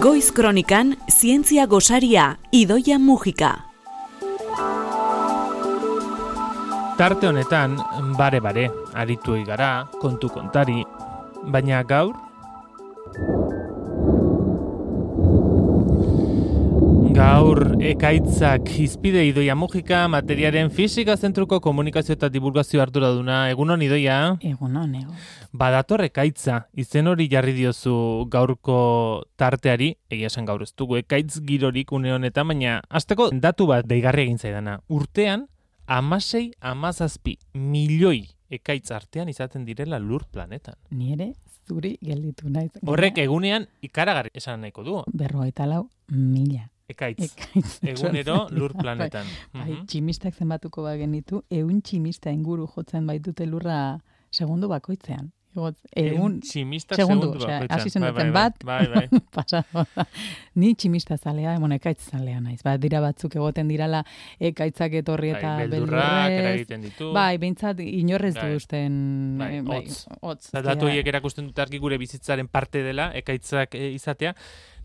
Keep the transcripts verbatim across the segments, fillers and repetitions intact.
Goiz Kronikan, zientzia gosaria, Idoia Mujika. Tarte honetan, bare-bare, aritu gara, kontu kontari, baina gaur? Gaur, ekaitzak hizpide Idoia Mujika, materiaren fisika zentruko komunikazio eta divulgazio arduraduna. Egunon, Idoia? Egunon, egun. Badator ekaitza, izen hori jarri diozu gaurko tarteari, egia esan gaur ez dugu, ekaitz girorik une honetan, baina hasteko datu bat deigarri egin zaidana. Urtean, amasei amazazpi milioi ekaitz artean izaten direla lur planetan. Ni ere zuri gelditu naiz. Horrek egunean ikaragarri esan nahiko du. Berrogeita lau mila. Ekaitz. Ekaitz. Egunero lur planetan. Bai, tximistak zenbatuko bagenitu, ehun tximista inguru jotzen baitute lurra segundu bakoitzean. Egun tximistak segundu, segundu bakoitzean. Hasi zen duten bat, bai, bai. pasado. Ni tximista zalea, emon ekaitz zalea naiz. Ba, dira batzuk egoten dirala ekaitzak etorri eta bai, beldurrak eragiten ditu. Bai, behintzat inorrez bai. du usten. Bai, eh, bai, hotz. hotz. Datu horiek erakusten dute argi gure bizitzaren parte dela, ekaitzak e, izatea.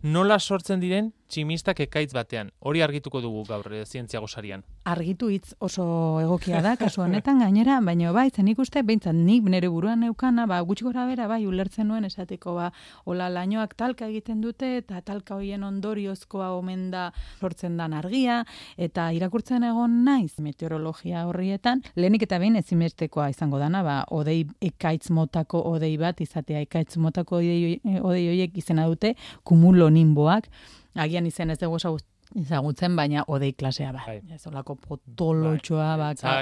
Nola sortzen diren tximistak ekaitz batean? Hori argituko dugu gaur e, zientzia gosarian. Argitu hitz oso egokia da, kasu honetan gainera, baina bai, zen ikuste, behintzat nik nire buruan neukana, ba, gutxi gora bera, bai, ulertzen nuen esateko, ba, hola lainoak talka egiten dute, eta talka hoien ondoriozkoa omen da sortzen dan argia, eta irakurtzen egon naiz meteorologia horrietan, lehenik eta behin ezinbestekoa izango dana, ba, odei ekaitz motako odei bat, izatea ekaitz motako odei, odei horiek izena dute, kumulo nimboak, agian izen ez dugu ezagutzen, baina odei klasea ba. Ez olako potolotxoa, bai. ba,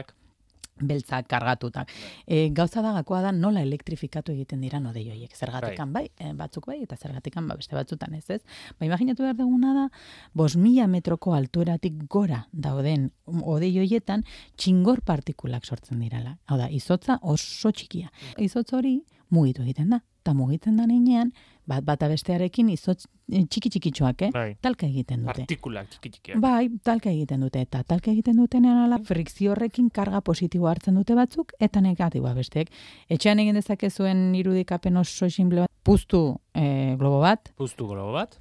beltzak kargatutak. E, gauza da gakoa da nola elektrifikatu egiten dira odei horiek. Zergatikan bai, bai batzuk bai, eta zergatikan ba, beste batzutan ez ez. Ba, imaginatu behar duguna da, bost mila metroko altueratik gora dauden odei horietan txingor partikulak sortzen dirala. Hau da, izotza oso txikia. Izotz hori mugitu egiten da. Eta mugitzen da nenean, bat bata bestearekin izotz txiki-txikitxoak, eh? Bai. Talka egiten dute. Partikulak txiki-txikiak. Bai, talka egiten dute. Eta talka egiten dutenean ala frikzio horrekin karga positiboa hartzen dute batzuk, eta negatiboa besteek. Etxean egin dezakezuen irudikapen oso simple bat, puztu eh, globo bat. Puztu globo bat.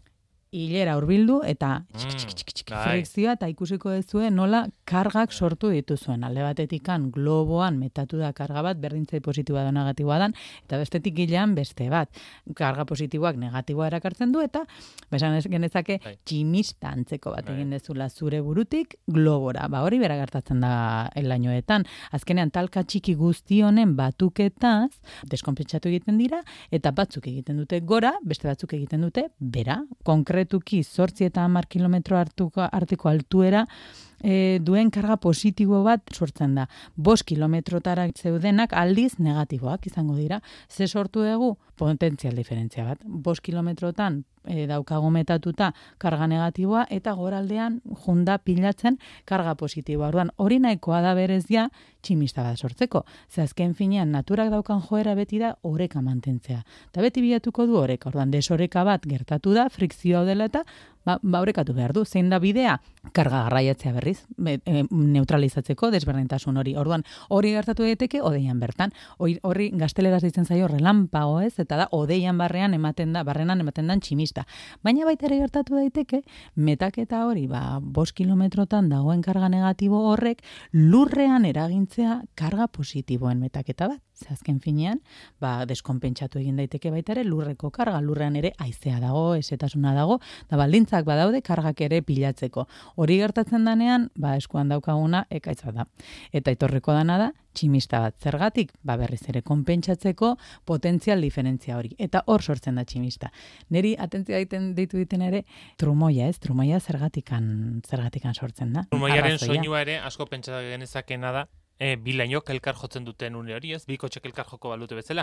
Hilera hurbildu eta txiki txiki txiki txiki bai. frikzioa eta ikusiko duzue nola kargak sortu dituzuen. Alde batetikan globoan metatu da karga bat, berdintzai positiboa da negatiboa dan, eta bestetik gilean beste bat. Karga positiboak negatiboa erakartzen du eta besan genezake bai. tximista antzeko bat bai. egin dezula zure burutik globora. Ba hori bera gertatzen da elainoetan. Azkenean talka txiki guzti honen batuketaz deskonpentsatu egiten dira eta batzuk egiten dute gora, beste batzuk egiten dute bera. Konkretuki zortzi eta hamar kilometro artuko, artiko altuera e, duen karga positibo bat sortzen da. Bost kilometrotara zeudenak aldiz negatiboak izango dira. Ze sortu dugu? Potentzial diferentzia bat. Bost kilometrotan e, daukago metatuta karga negatiboa eta goraldean junda pilatzen karga positiboa. Orduan, hori nahikoa da berezia tximista bat sortzeko. Ze azken finean naturak daukan joera beti da oreka mantentzea. Eta beti bilatuko du oreka. Orduan, desoreka bat gertatu da, frikzioa dela eta ba, ba orekatu behar du. Zein da bidea? Karga garraiatzea berriz, be, e, neutralizatzeko desberdintasun hori. Orduan, hori gertatu daiteke odeian bertan. Hori, horri gazteleraz ditzen zaio relampago ez, eta da odeian barrean ematen da, barrenan ematen dan tximista. Baina baita ere gertatu daiteke, metaketa hori, ba, bost kilometrotan dagoen karga negatibo horrek, lurrean eragintzea karga positiboen metaketa bat. Ze azken finean, ba, deskonpentsatu egin daiteke baita ere lurreko karga, lurrean ere haizea dago, esetasuna dago, da baldintzak badaude kargak ere pilatzeko. Hori gertatzen danean, ba, eskuan daukaguna ekaitza da. Eta etorriko dana da, tximista bat. Zergatik, ba, berriz ere konpentsatzeko potentzial diferentzia hori. Eta hor sortzen da tximista. Neri atentzia egiten deitu diten ere, trumoia, ez? Trumoia zergatikan, zergatikan sortzen da. Trumoiaren soinua ere asko pentsa genezakena da. E, bi lainok elkar jotzen duten une hori, ez? Bi kotxek elkar joko balute bezala,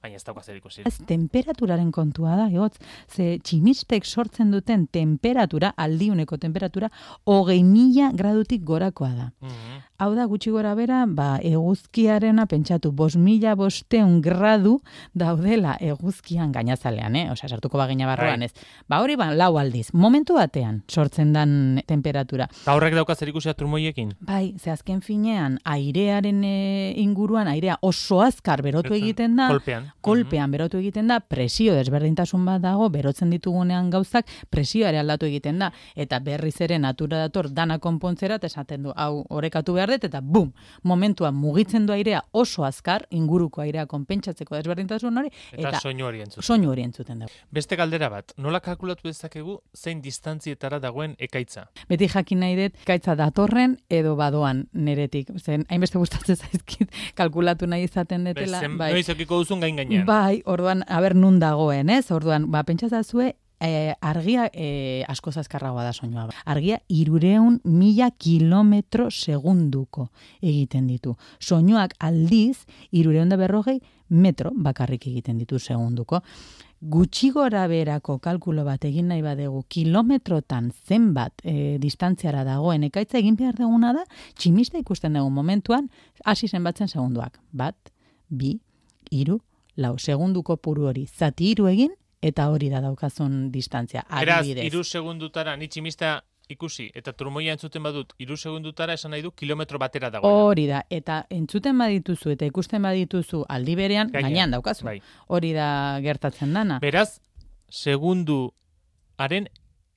baina ez dauka zer ikusi. Ez temperaturaren kontua da, egotz, ze tximistek sortzen duten temperatura, aldiuneko temperatura, hogei mila gradutik gorakoa da. Mm-hmm. Hau da, gutxi gora bera, ba, eguzkiarena pentsatu, bos mila bosteun gradu daudela eguzkian gainazalean, eh? Osea, sartuko bagina barruan ez. Ba, hori ba, lau aldiz. Momentu batean sortzen dan temperatura. Ta horrek dauka zer ikusia trumoiekin? Bai, ze azken finean, airearen e, inguruan, airea oso azkar berotu Betzen, egiten da. kolpean. Kolpean Mm-hmm. berotu egiten da, presio desberdintasun bat dago, berotzen ditugunean gauzak, presioa ere aldatu egiten da. Eta berriz ere natura dator dana konpontzera, eta esaten du, hau, orekatu behar dut, eta bum, momentuan mugitzen du airea oso azkar, inguruko airea konpentsatzeko desberdintasun hori, Eta, eta soinu hori entzuten. soinu hori entzuten dugu. Beste galdera bat, nola kalkulatu dezakegu zein distantzietara dagoen ekaitza? Beti jakin nahi dut, ekaitza datorren edo badoan neretik. Zen, hainbeste gustatzen zaizkit kalkulatu nahi izaten detela. Zen, bai. noiz okiko duzun gain gainean. Bai, orduan, aber nun dagoen, ez? Orduan, ba, pentsazazue, E, argia e, asko azkarragoa da soinua. Argia irureun mila kilometro segunduko egiten ditu. Soinuak aldiz irureun da berrogei metro bakarrik egiten ditu segunduko. Gutxi gora berako kalkulo bat egin nahi badegu kilometrotan zenbat e, distantziara dagoen ekaitza egin behar duguna da, tximista ikusten dugu momentuan, hasi zenbatzen segunduak. Bat, bi, hiru, lau, segunduko puru hori zati hiru egin, eta hori da daukazun distantzia. Beraz, Adibidez. iru segundutara, ni tximista ikusi, eta trumoia entzuten badut, iru segundutara esan nahi du kilometro batera dagoena. Hori da, eta entzuten badituzu, eta ikusten badituzu aldi berean, Gainean, gainean daukazu. bai. Hori da gertatzen dana. Beraz, segunduaren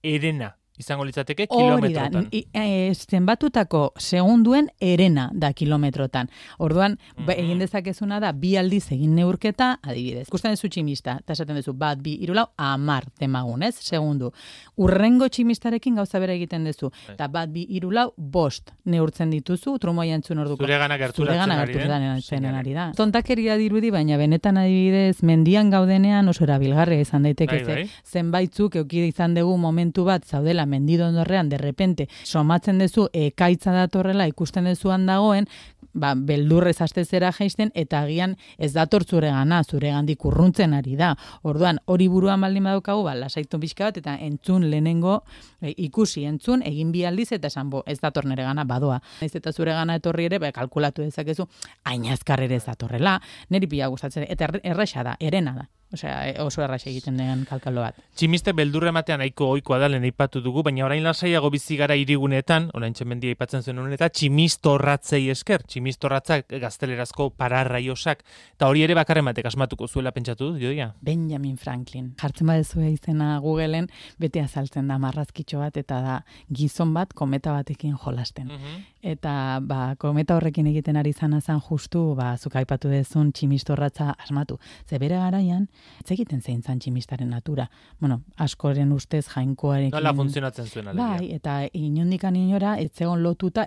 erena izango litzateke Hori da, kilometrotan. i- e, zenbatutako segunduen erena da kilometrotan. Orduan, ba, Mhm. egin dezakezuna da, bi aldiz egin neurketa, adibidez. Ikusten duzu tximista, eta esaten duzu, bat, bi, hiru, lau, amar demagun, ez? Segundu. Urrengo tximistarekin gauza bera egiten duzu. Bai. Eta bat, bi, hiru, lau, bost neurtzen dituzu, trumoia entzun orduko. Zuregana gerturatzen Zuregana ari den gerturatzen seinale. ari da. Tontakeria dirudi, baina benetan adibidez, mendian gaudenean oso erabilgarria izan daiteke. Bai, ze bai. Zenbaitzuk euki izan dugu momentu bat zaudela mendidondorrean, derrepente, somatzen duzu ekaitza datorrela ikusten duzuan dagoen, ba, beldurrez astezera jaisten, eta agian ez dator zuregana, zuregandik urruntzen ari da. Orduan, hori buruan baldin badaukagu, ba, lasaitu pixka bat, eta entzun lehenengo, e, ikusi entzun, egin bi aldiz, eta esan, bo, ez dator nere gana, badoa. Ez eta zuregana etorri ere, ba, kalkulatu dezakezu, hain azkar ere ez datorrela, niri pila gustatzen, eta erre- erresa da, erena da. Osea, oso erraxa egiten den kalkalo bat. Tximiste beldurre ematean nahiko ohikoa da lehen aipatu dugu, baina orain lasaiago bizi gara hirigunetan, orain txemendia aipatzen zuen honen, eta tximistorratzei esker, tximistorratzak gaztelerazko pararraiosak, eta hori ere bakarren batek asmatuko zuela pentsatu dut, jodia? Benjamin Franklin. Jartzen badezu izena Googleen, bete azaltzen da marrazkitxo bat, eta da gizon bat kometa batekin jolasten. Mhm. Eta ba, kometa horrekin egiten ari zana zan justu, ba, zuk aipatu dezun tximistorratza asmatu. Ze bere garaian, ez egiten zein zan tximistaren natura. Bueno, askoren ustez jainkoarekin. Nola funtzionatzen zuen alegia? Bai, eta inondikan inora ez zegoen lotuta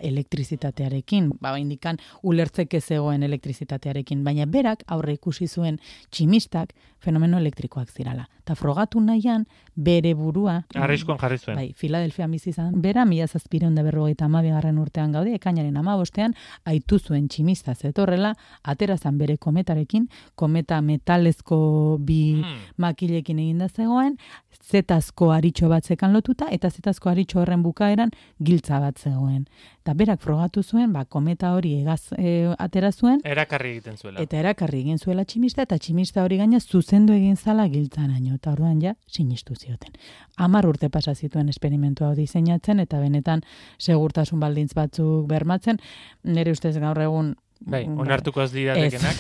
elektrizitatearekin. Ba, indikan ulertzeke zegoen elektrizitatearekin. Baina berak aurre ikusi zuen tximistak fenomeno elektrikoak zirala. Ta frogatu nahian bere burua... Arriskuan jarri zuen. Bai, Filadelfia bizi izan. Bera, mila zazpireun da berrogeita hamabigarren urtean gaude, ekainaren hamabostean, aitu zuen tximista zetorrela, aterazan bere kometarekin, kometa metalezko bi Mm. makilekin eginda zegoen, zetazko aritxo bat zekan lotuta, eta zetazko aritxo horren bukaeran giltza bat zegoen. Eta berak frogatu zuen, ba, kometa hori egaz e, atera zuen, Erakarri egiten zuela. eta erakarri egin zuela tximista, eta tximista hori gaina zuzendu egin zala giltzaraino, eta orduan ja sinistu zioten. Hamar urte pasa zituen esperimentu hau diseinatzen, eta benetan segurtasun baldintz batzuk bermatzen, nire ustez gaur egun Bai, mm, onartuko ez liratekenak.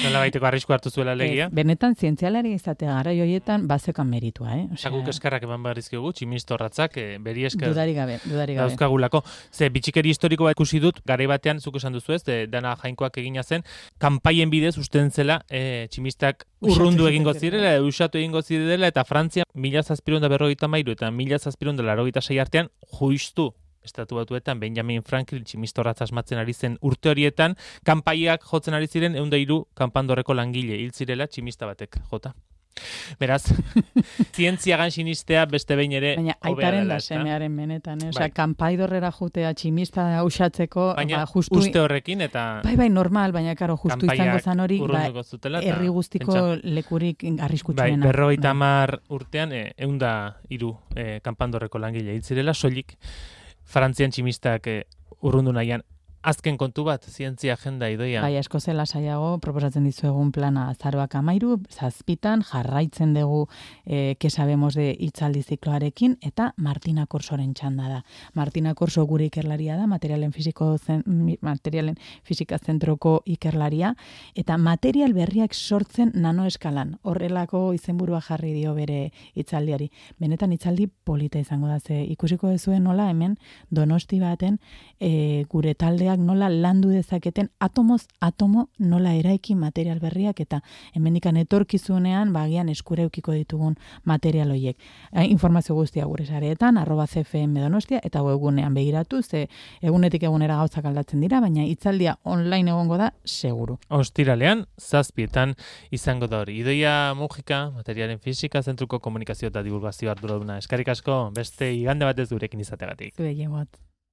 Nola baiteko arrisku hartu zuela legia. ez, benetan zientzialari izatea gara joietan bazekan meritua, eh? Osea, Guk eskarrak eman barrizkigu, tximistorratzak, eh, beri esker Dudarik gabe, dudarik gabe. dauzkagulako. Ze, bitxikeri historiko bat ikusi dut, garai batean, zuk esan duzu ez, de, dana jainkoak egina zen, kanpaien bidez usten zela eh, tximistak urrundu Usatu egingo zitezkeen. zirela, usatu egingo zirela, eta Frantzia mila zazpireun da berrogeita hamairu eta mila zazpireun da laurogeita sei artean juistu Estatu Batuetan Benjamin Franklin tximistorratza asmatzen ari zen urte horietan, kanpaiak jotzen ari ziren ehun eta hiru kanpandorreko langile hil zirela tximista batek jota. Beraz, zientziagan sinistea beste behin ere Baina hobea aitaren dela, da ezta? semearen benetan, eh? Osea, Bai. kanpaidorrera jutea tximista usatzeko, Baina ba, justu... uste horrekin eta Bai, bai, normal, baina karo, justu izango kanpaiak zan hori, ba, urrunduko zutela. eta herri guztiko pentsa- lekurik Bai, arriskutsuena. berrogeita Bai. hamar urtean, eh, ehun da hiru eh, kanpandorreko langile hil zirela, soilik Frantzian tximistak eh, urrundu nahian azken kontu bat, zientzia agenda Idoia. Bai, asko zela saiago, proposatzen dizuegun plana azaroak amairu, zazpitan, jarraitzen dugu e, que sabemos de hitzaldi zikloarekin, eta Martina Korsoren txanda da. Martina Korso gure ikerlaria da, materialen, fisiko zen, materialen fisika zentroko ikerlaria, eta material berriak sortzen nanoeskalan. Horrelako izenburua jarri dio bere hitzaldiari. Benetan hitzaldi polita izango da, ze ikusiko dezuen nola hemen Donosti baten e, gure taldeak nola landu dezaketen atomoz atomo nola eraiki material berriak eta hemendikan etorkizunean bagian eskura eukiko ditugun material horiek. E, informazio guztia gure sareetan arroba C F M Donostia eta webgunean begiratu, ze egunetik egunera gauzak aldatzen dira, baina hitzaldia online egongo da seguru. Ostiralean, zazpietan izango da hori. Idoia Mujika, materialen fisika zentruko komunikazio eta divulgazio arduraduna. Eskerrik asko, beste igande batez gurekin izategatik. Zue, jegot.